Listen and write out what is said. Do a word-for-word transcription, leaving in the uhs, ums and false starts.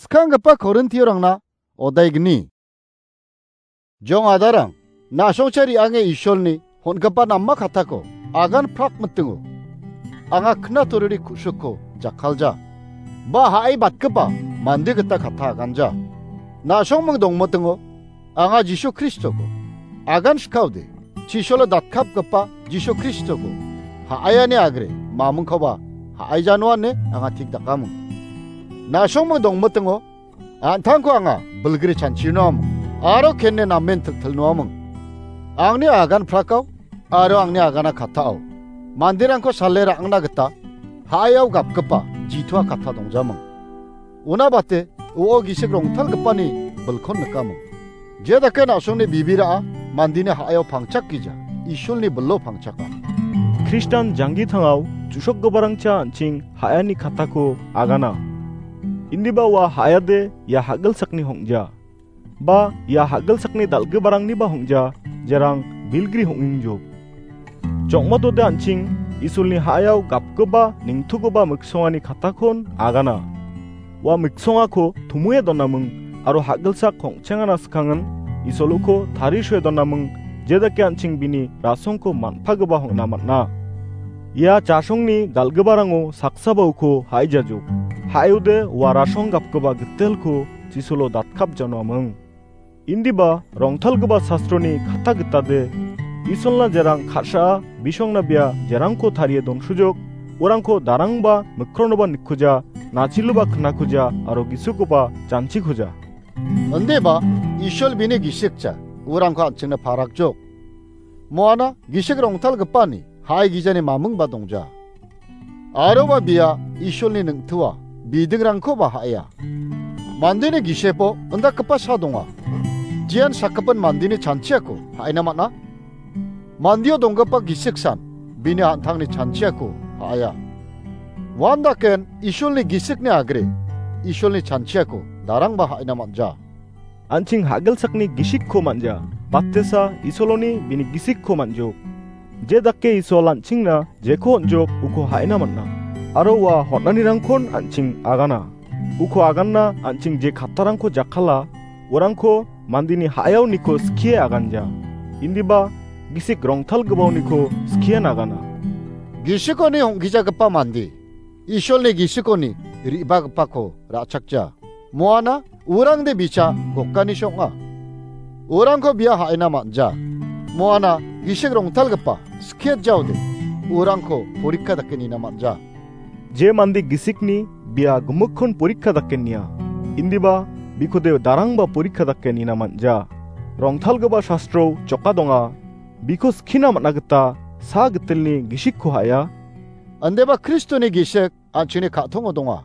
Skanggipa Korintiorangna odaigni. Jong adarang, na·songcha re·ange Isolni hon·gipa nama kattako agan prak mitingo. Anga knatoriri ku·sukko jakkalja. Ba ha·e batgipa mande gita katta aganja. Na·songming dongmitingo, anga Jisu Kristoko agan sikaode, chisolo datkapgipa Jisu Kristoko ha·aiani agre mamingkoba ha·aijanoa ine anga tik dakaming. Na·songming dongmitingo, an·tangko anga bilgri chanchinoaming, aro kenne namen tiltilnoaming. Angni agan prakao aro angni agana kattao manderangko sale ra·angna gita ha·aiao gapgipa jitoa katta dongjaming. Una bate, u·o gisik rongtalgipani bilkon nikaming. Je dake na·songni bibira·a mandeni ha·aio pangchakgija, Isolni bilo pangchaka. Kristan janggitangao jusokgiparangcha an·ching ha·ani kattako agana. Indiba ua ha·ade ia hagilsakni hong·ja. Ba ia hagilsakni dal·giparangniba hong·ja, jerang bilgri hong·ingjok. Jokmatode an·ching Isolni ha·aio gapgipa ningtugipa miksongani kattakon agana. Ua miksongako tumoe donaming aro hagilsak kongchengana skangin Isolko tarisoe donaming, jedake an·ching bini rasongko man·pagipa hong·na man·a. Ia jasongni dal·giparango saksaba uko ha·ijajok. Ha·aiode ua rasong gapgipa gitelko chisolo datkapjanoaming. Indiba rongtalgipa sastroni katta gitade, Isolna jerang ka·saa bisongna bia jerangko tarie donsujok, urangko darangba mikronoba nikkuja, nachiloba knakuja aro gisikoba janchikuja. Indiba Isol bini gisikja, urangko an·chingna parakjok. Moana gisik rongtalgipani ha·e gijani mamingba dongja. Aroba bia Isolni ningtua bidingrangkoba ha·aia. Mandeni gisepo indakgipa sa donga. Jian sakgipin mandeni chanchiako ha·aina man·a. Mandio donggipa gisiksan bini an·tangni chanchiako ha·aia. Uandaken Isolni gisikni agre Isolni chanchiako darangba ha·aina man·ja. An·ching hagilsakni gisikko man·ja. Batesa Isoloni bini gisikko man·jok. Je dake Isol an·chingna jeko on·jok uko ha·ina man·a. Aro ua hotnanirangkon an·ching agana. Uko aganna an·ching je kattarangko jakkala, urangko mandeni ha·aoniko skie aganja. Indiba gisik rongtalgipaoniko skien agana. Gisikoni hong·gijagipa mande Isolni gisikoni re·bagipako ra·chakja. Moana urangde bicha gokani song·a. Urangko bia ha·ina man·ja. Moana gisik rongtalgipa skie jaode urangko porikka dake nina man·ja. Je mande gisikni bia gimikkon porikka dake nia. Indiba bikode darangba porikka dake nina man·ja. Rongtalgipa sastro joka donga. Biko skina man·a gita sa gitelni gisikko ha·aia. Andeba Kristoni gisik an·chingni ka·tongo donga.